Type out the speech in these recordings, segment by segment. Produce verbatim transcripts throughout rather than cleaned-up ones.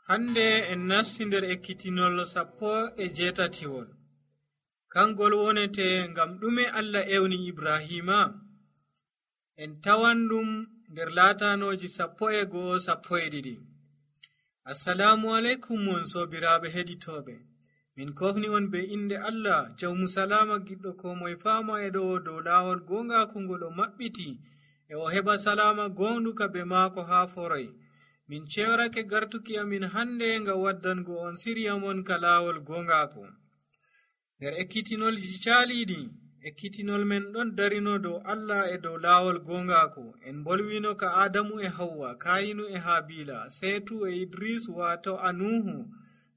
Hande en nasti nder ekkitinol sappo e jeetatiwol. Kangol wonete ngam ɗume Allah ewni Ibrahima. En tawan ɗum nder laatanooji sappo e go'o sappo e ɗiɗi. Assalamu alaikum mon sobiraaɓe heɗitooɓe. Min kofni on be inde Allah jawmu salama giɗɗo ko moye faama e ɗo dow laawol gongaku ngol o maɓɓiti e o heɓa salama gonduka be maako haa foroy. Min cewrake gartuki amin hande nga waddango on siriya mon ka laawol gongaku. Nder ekkitinolji caaliɗi, ekkitinol men ɗon darino dow Allah e dow laawol gongaku. En bolwino ka Adamu e Hawwa, Kayinu e Habila, Seetu e Idris wato Anuhu,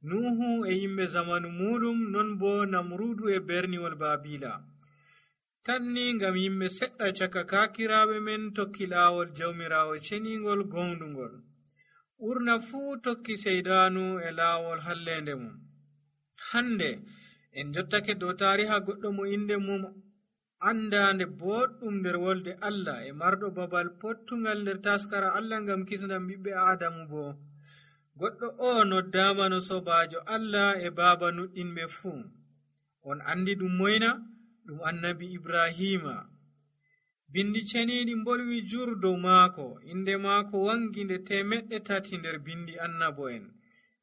Nuhu e yimɓe zamanu muɗum, non bo Namrudu e berniwol Babila. Tanni ngam yimɓe seɗɗa caka kakiraaɓe men tokki laawol jawmirawo ceningol gondungol. Ɓurna fuu tokki seydanu e laawol hallende mum. Hande en jottake dow tariha goɗɗo mo inde mum andande boɗɗum nder wolde Allah e marɗo babal pottungal nder taskara Allah ngam kisnam ɓiɓɓe Adamu bo. Goɗɗo o noddama no sobajo Allah e baaba nuɗɗinɓe fuu. On andi ɗum moyna? Ɗum annabi Ibrahima. Bindi ceniɗi mbolwi jur dow maako, inde maako wangi nde temeɗɗe tati nder bindi annabo'en.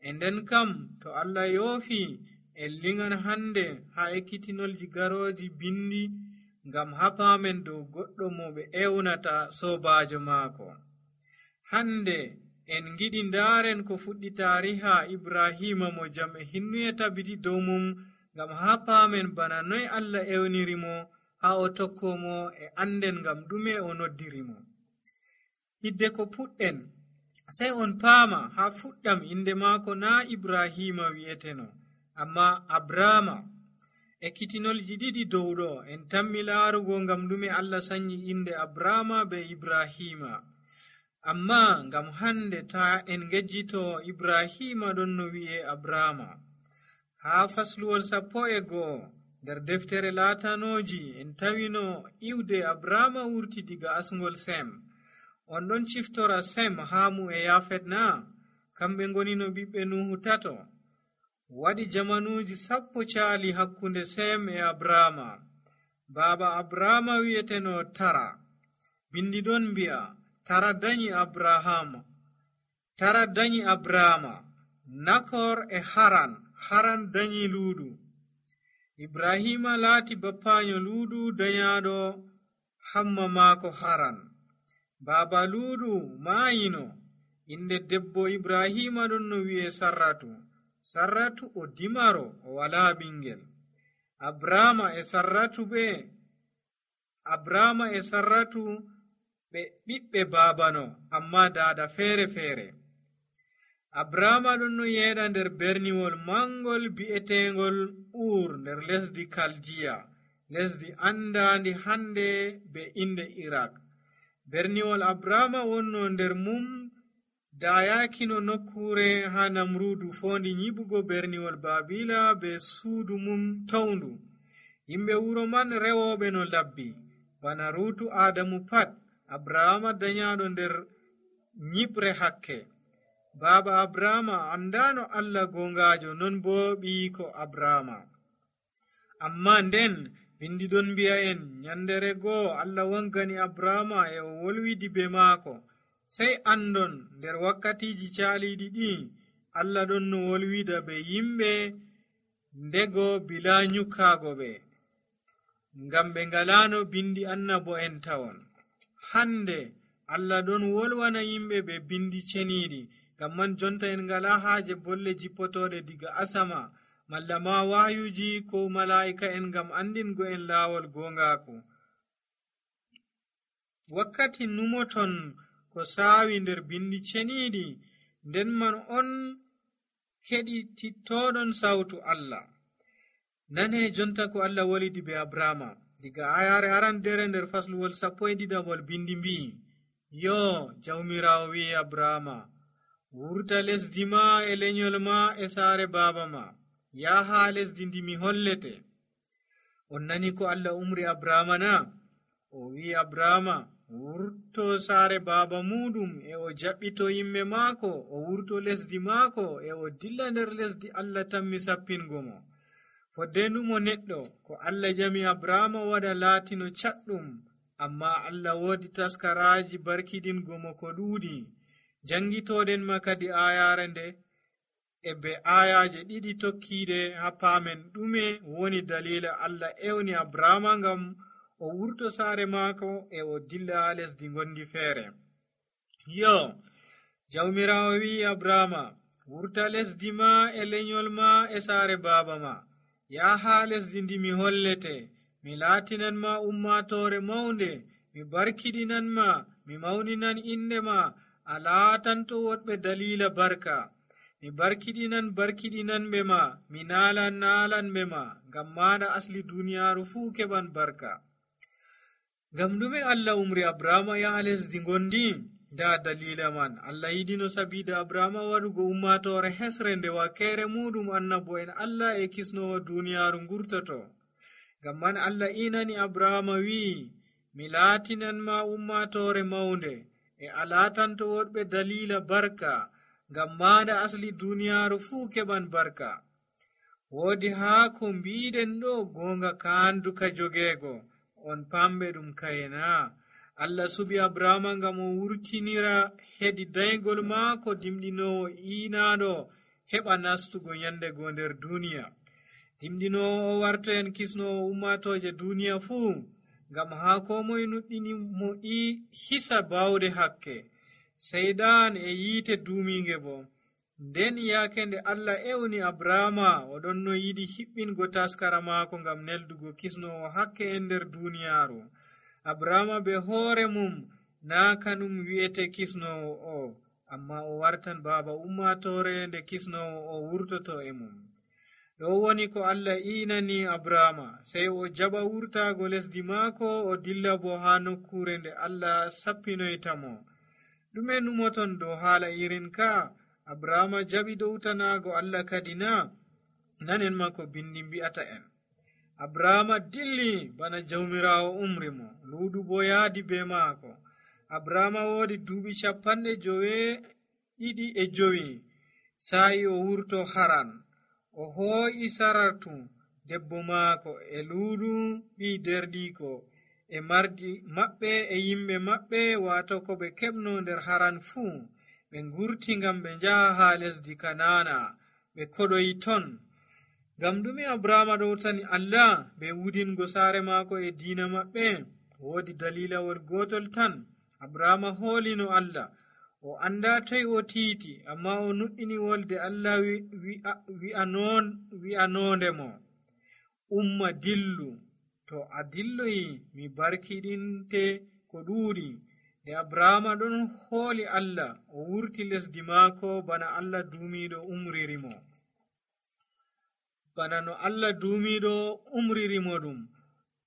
E nden kam to Allah yoofi en lingan hande ha ekkitinolji garoji bindi ngam hapamen dow goɗɗo mo ɓe ewnata sobajo maako. Hande en giɗi ndaren ko fuɗɗi tariha Ibrahima mo jam e hinnuye tabiti dow mum ngam hapamen bana noy Allah ewnirimo ha o tokkomo e anden ngam ɗume o noddirimo. Hidde ko puɗɗen sai on paama ha fuɗɗam inde maako na Ibrahima wi'eteno, amma Abrama. Ekkitinolji ɗiɗi dow ɗo en tammi laarugo ngam ɗume Allah sanyi inde Abrama be Ibrahima. Amma ngam hande ta en ngejjito Ibrahima ɗon no wi'e Abrama. Ha fasluwol sappo e go'o nder deftere laatanoji en tawino iwde Abrama wurti diga asngol Sem. On ɗon ciftora Sem, Hamu e Yafet na? Kamɓe ngonino ɓiɓɓe Nuhu tato. Waɗi jamanuji sappo caali hakkunde Sem e Abrama. Baaba Abrama wi'eteno Tara. Bindi ɗon mbi'a Tara danyi Abrahama. Tara danyi Abrama. Nakor e Haran. Haran danyi Luudu. Ibrahima laati bappaño Luudu dayaɗo hamma maako Haran. Baaba Luudu maayino. Inde debbo Ibrahima ɗon no wi'e Sarratu. Sarratu o dimaro o wala ɓingel. Abrama e Sarratu ɓe Abrama e Sarratu ɓe ɓiɓɓe baabano, amma daada feere feere. Abrama ɗon no yeeɗa nder berniwol mangol bi'etengol Ur nder lesdi Kaljiya, lesdi andandi hande be inde Irak. Berniwol Abrama wonno nder mum dayakino nokkure ha Namrudu fondi nyiɓugo berniwol Babila be suudu mum tawndu. Yimɓe wuro man rewoɓe no labbi, bana Rutu Adamu pat. Abrama dayaɗo nder nyiɓre hakke. Baaba Abrama andano Allah gongajo, non bo ɓiyiko Abrama. Amma nden bindi ɗon mbi'a en nyandere goo Allah wangani Abrama e o wolwidi be maako. Sai andon nder wakkatiji caaliɗi ɗi Allah ɗon no wolwida be yimɓe ndego bila nyukkago ɓe, ngam ɓe ngalano bindi annabo en tawon. Hande Allah ɗon wolwana yimɓe be bindi ceniɗi, ngam man jonta en ngala haaje bolle jippotoɗe diga asama malla ma wahayuji ko mala'ika en ngam andingo en laawol gongaku. Wakkati numoton ko saawi nder bindi ceniɗi, nden man on keɗitittoɗon sautu Allah. Nane jonta ko Allah wolidi be Abrama diga ayare arandere nder fasluwol sappo e ɗiɗabol. Bindi mbi'i, yo jawmirawo wi'i Abrama, wurta lesdi ma e lenyol ma e saare baaba ma, yaha lesdi ndi mi hollete. On nani ko Allah umri Abrama na? O wi'i Abrama wurto saare baaba muɗum e o jaɓɓito yimɓe maako, o wurto lesdi maako e o dilla nder lesdi Allah tammi sappingo mo. Foddendumo neɗɗo ko Allah jami Abrahama waɗa laatino caɗɗum, amma Allah woodi taskaraaji barkidingo mo ko ɗuuɗi. Jangitoɗen ma kadi ayaare nde e be ayaje ɗiɗi tokkiide ha paamen ɗume woni dalila Allah ewni Abrahama ngam o wurto saare maako e o dilla ha lesdi gondi feere. Yo, jawmirawo wi Abrahama, wurta lesdi ma e lenyol ma e saare baaba ma, yaha lesdi ndi mi hollete, mi laatinan ma ummatore maunde, mi barkidinan ma, mi mauninan inde ma, a laatanto woɗɓe dalila barka. Mi barkidinan barkidinan ɓe ma, mi naalan naalan ɓe ma, ngam maɗa asli duniyaaru fuu keɓan barka. Ngam ɗume Allah umri Abrahama yaha lesdi gondi? Nda dalila man. Allah yidino sabida Abrahama waɗugo ummatore hesre nde wakkere muɗum annabo en Allah e kisnowo duniyaaru ngurtoto. Ngam man Allah inani Abrahama wi, mi laatinan ma ummatore maunde, e a laatanto woɗɓe dalila barka, ngam maɗa asli duniyaaru fuu keɓan barka. Woodi haa ko mbiɗen ɗo gonga kanduka jogeego, on pamɓe ɗum kayena. Allah suɓi Abrahama ngam o wurtinira hedi daygol maako dimɗinowo iinaɗo heɓa nastugo nyandego nder duniya. Dimɗinowo o warto en kisnowo ummatoje duniya fuu, ngam haa ko moye nuɗɗini mo i hisa bawde hakke, seydan e yiite duuminge bo. Nden yaake nde Allah ewni Abrahama, oɗon no yiɗi hiɓɓingo taskara maako ngam neldugo kisnowo hakke e nder duniyaaru. Abrahama be hoore mum naa kanum wi'ete kisnowo o, amma o wartan baaba ummatore nde kisnowo o wurtoto e mum. Ɗo woni ko Allah inani Abrahama, sey o jaɓa wurtaago lesdi maako, o dilla bo haa nokkure nde Allah sappinoytamo. Ɗume numoton dow haala irin ka? Abrahama jaɓi dowtanaago Allah kadi na? Nanen ma ko bindi mbi'ata en. Abrahama dilli bana jawmirawo umri mo, luudu bo yaadi be maako. Abrahama woodi duuɓi capanɗe jowe ɗiɗi e jowi sa'i o wurto Haran. O hoo'i Saratu debbo maako e luudu ɓi derɗiko e mardi maɓɓe e yimɓe maɓɓe, waato ko ɓe keɓno nder Haran fuu. Ɓe ngurti ngam ɓe njaha haa lesdi Kanana, ɓe koɗoyi ton. Ngam ɗume Abrahama ɗowtani Allah be wudingo saare maako e diina maɓɓe? Woodi dalilawol gotol tan. Abrahama hoolino Allah, o anda toy o tiiti, amma o nuɗɗini wolde Allah wi'anonde mo, umma dillu, to a dilloyi mi barkiɗinte ko ɗuuɗi. Nde Abrahama ɗon hooli Allah, o wurti lesdi maako bana Allah duumiɗo umririmo. Bana no Allah duumiɗo umririmo ɗum.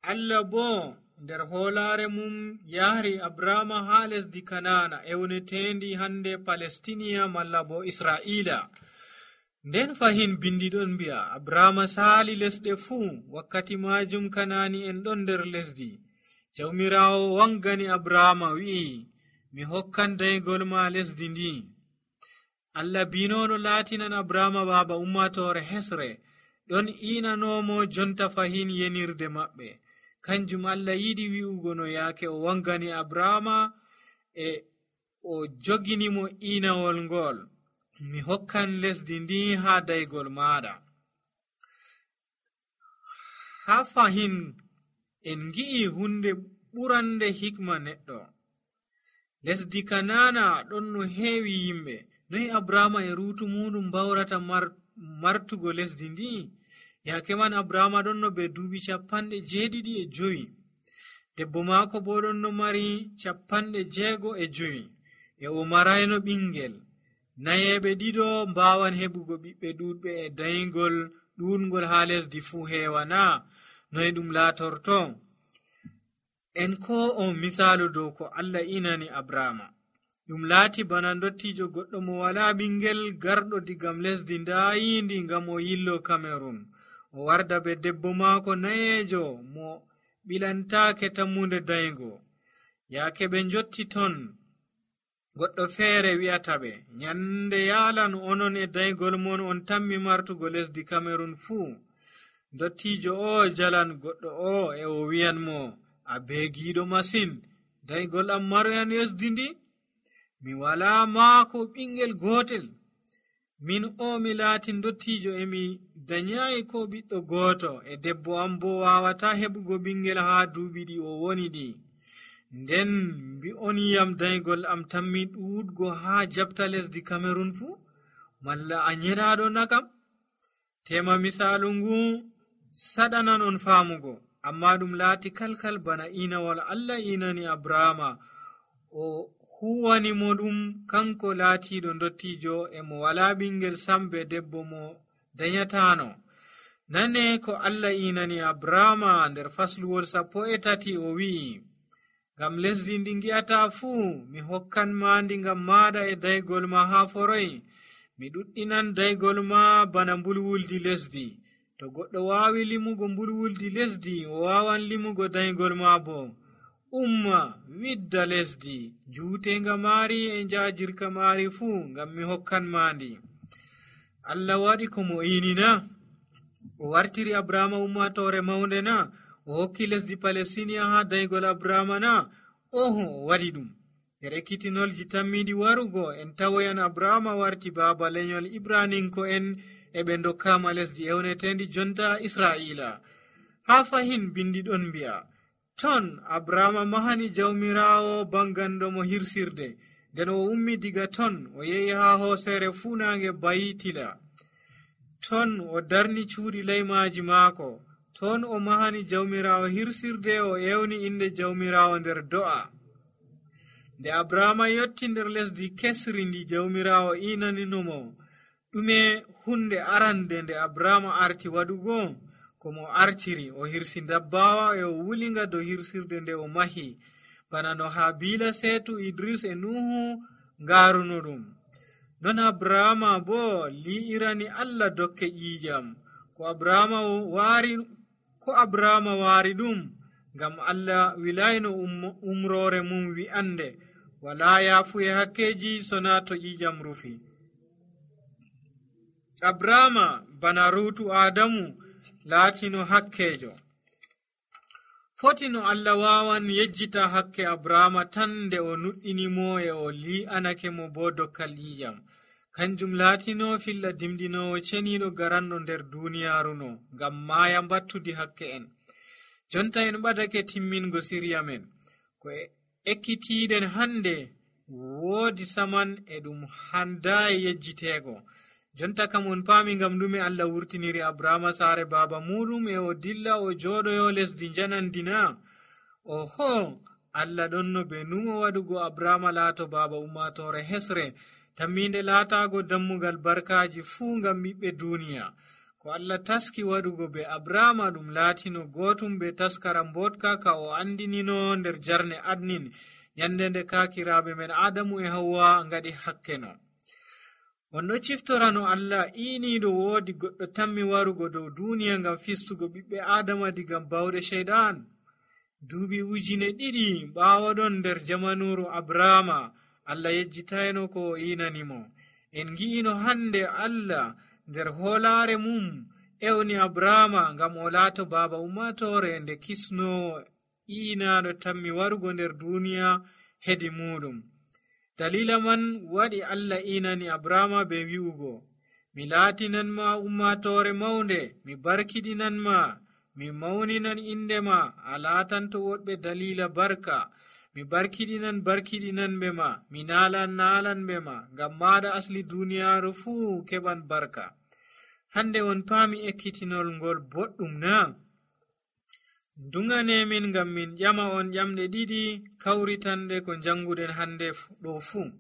Allah bo nder hoolare mum yahri Abrahama haa lesdi Kanana, ewnetendi hande Palestiniya malla bo Israila. Nden fahin bindi ɗon mbi'a Abrahama saali lesɗe fuu, wakkati majum Kanani en ɗon nder lesdi. Jawmirawo wangani Abrahama wi'i, mi hokkan daygol ma lesdi ndi. Allah binoɗo laatinan Abrahama baaba ummatore hesre, ɗon inanomo jonta fahin yenirde maɓɓe. Kanjum Allah yiɗi wi'ugo no yaake o wangani Abrahama e o joginimo inawol ngol, mi hokkan lesdi ndi haa daygol maɗa. Ha fahin en gi'i hunde ɓurande hikma neɗɗo. Lesdi Kanana ɗon no heewi yimɓe. Noy Abrahama e ruutu muɗum bawrata mar martugo lesdi ndi? Yaake man Abrahama ɗon no be duuɓi capanɗe jeeɗiɗi e jowi. Debbo maako bo ɗon no mari capanɗe jeego e jowi, e o marayno ɓingel. Nayeɓe ɗiɗo mbawan heɓugo ɓiɓɓe ɗuɗɓe e daygol ɗuɗgol haa lesdi fuu heewana. Noy ɗum laatorto? En ko on misaalu dow ko Allah inani Abrahama. Ɗum laati bana dottijo goɗɗo mo wala ɓingel garɗo digam lesdi ndayindi ngam o yillo Cameron. O warda be debbo maako nayeejo mo ɓilantake tammunde daygo. yaake ɓe njotti ton, goɗɗo feere wi'ata ɓe, nyande yaalan onon e daygol mon on tammi martugo lesdi Kamerun fuu. Dottiijo o jalan goɗɗo o e o wi'anmo, a beegiiɗo masin, daygol am maroyan lesdi ndi? Mi walaa maako ɓingel gootel. Min o mi laatin dottiijo e mi danyaayi ko ɓiɗɗo gooto, e debbo am bo waawata heɓugo ɓingel haa duuɓi ɗi o woni ɗi. Nden mbi'on yam daygol am tammi ɗuuɗgo haa jabta lesdi Kamerun fuu? Malla a nyeɗaaɗo na kam? Tema misaalu ngu saɗanan on faamugo, amma ɗum laati kalkal bana inawol Allah inani Abrahama o huwani mo ɗum kanko laatiiɗo dottiijo e mo walaa ɓingel sambe debbo mo danyataano. Nane ko Allah inani Abrahama nder fasluwol sappo e tati o wi'i, ngam lesdi ndi ngi'ata fuu mi hokkan ma ndi ngam maaɗa e daygol ma haa foroy. Mi ɗuɗɗinan daygol ma bana mbulwuldi lesdi. To goɗɗo waawi limugo mbulwuldi lesdi, o waawan limugo daygol ma bo. Umma widda lesdi juutenga maari e njaajirka maari fuu ngam mi hokkan ma ndi. Allah waɗi ko mo ini na? O wartiri Abrahama ummatore mawnde na? O hokki lesdi Palestiniya haa daygol Abrahama na? Oho, o waɗi ɗum. Nder ekkitinolji tammiɗi warugo en tawoyan Abrahama warti baaba lenyol Ibraninko en e ɓe dokkama lesdi ewnetendi jonta Israila. Haa fahin bindi ɗon mbi'a, ton Abrahama mahani jawmirawo bangando mo hirsirde. Nden o ummi diga ton o yehi haa hoosere fuunange Bayitila. Ton o darni cuuɗi leymaji maako. Ton o mahani jawmirawo hirsirde, o ewni inde jawmirawo nder do'a. Nde Abrahama yotti nder lesdi kesri ndi jawmirawo inaninomo, ɗume hunde arande nde Abrahama arti waɗugo? Ko mo artiri, o hirsi dabbawa e o wulinga dow hirsirde nde o mahi, bana no Habila, Setu, Idris e Nuhu ngaaruno ɗum. Non Abrahama bo li'irani Allah dokke ƴiƴam. Ko Abrahama waari ko Abrahama waari ɗum ngam Allah wilayno um, umrore mum wi'ande, wala yaafu e hakkeji sona to ƴiƴam rufi. Abrahama bana ruutu Adamu laatino hakkejo. Fotino Allah wawan yejjita hakke Abrahama tan nde o nuɗɗinimo e o li'anake mo bo dokkal ƴiƴam. Kanjum laatino filla dimdinowo ceniɗo garanɗo nder duniyaaruno ngam maaya mbattudi hakke en. Jonta en ɓadake timmingo siriya men. Ko ekkitiɗen hande woodi saman e ɗum handayi yejjiteego. Jonta kam on paami ngam ɗume Allah wurtiniri Abrahama saare baaba muɗum e o dilla o jooɗoyo lesdi janandina. Oho, Allah ɗonno be numo waɗugo Abrahama laato baaba ummatore hesre, tamminde laataago dammugal barkaaji fuu ngam ɓiɓɓe duniya. Ko Allah taski waɗugo be Abrahama ɗum laatino gootum be taskara mbotka ka o andinino nder jarne adnin, yande nde kaakiraaɓe men Adamu e Hawwa ngaɗi hakkeno. On ɗo ciftorano Allah iiniiɗo woodi goɗɗo tammi warugo dow duniya ngam fistugo ɓiɓɓe Adama diga bawɗe sheyɗan. Duuɓi ujine ɗiɗi ɓaawo ɗon nder jamanuru Abrahama, Allah yejjitayno ko o inanimo. En ngi'ino hande Allah nder hoolaare mum ewni Abrahama ngam o laato baaba ummatore nde kisnowo iinaɗo tammi warugo nder duniya hedi muɗum. Dalila man waɗi Allah inani Abrahama be wi'ugo, mi laatinan ma ummatore mawnde, mi barkidinan ma, mi mawninan inde ma, a laatanto woɗɓe dalila barka. Mi barkidinan barkidinanɓe ma, mi naalan naalanɓe ma, ngam maɗa asli duniyaaru fuu keɓan barka. Hande on paami ekkitinol ngol boɗɗum na? Dungane min ngam min ƴama on ƴamɗe ɗiɗi kawritande ko janguɗen hande ɗo fuu.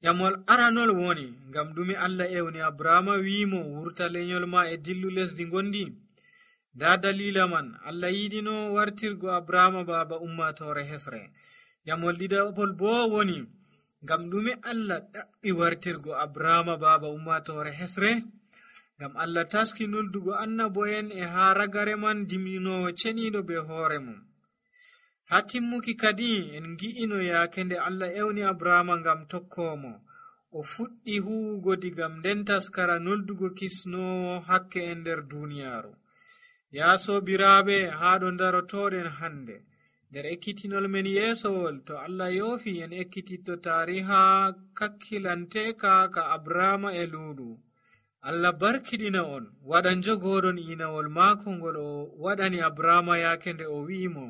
Ƴamol aranol woni, ngam ɗume Allah ewni Abrahama wiimo wurta lenyol ma e dillu lesdi gondi? Da dalila man, Allah yiɗino wartirgo Abrahama baaba ummatore hesre. Ƴamol ɗiɗaɓol bo woni, ngam ɗume Allah ɗaɓɓi wartirgo Abrahama baaba ummatore hesre? Ngam Allah taski nuldugo annabo'en e haa ragare man dimɗinowo ceniɗo be hoore mum. haa timmuki kadi en ngi'ino yaake nde Allah ewni Abrahama ngam tokkoomo, o fuɗɗi huwugo digam nden taskara noldugo kisnoowo hakke en nder duuniyaaru. Yaa soobiraaɓe, haa ɗo ndarotooɗen hannde nder ekkitinol men yeesowol, to Allah yoofi en ekkititto taariha kakkilanteeka ka Abrahama e luuɗu. Allah barkiɗina on, waɗa njogooɗon inawol maako ngol o waɗani Abrahama yaake nde o wi'imo,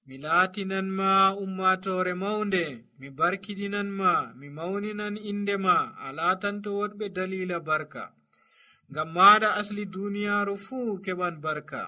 mi laatinan ma ummatoore mawnde, mi barkiɗinan ma, mi mawninan inde ma, a laatanto woɗɓe daliila barka. Ngam maaɗa asli duuniyaaru fuu keɓan barka.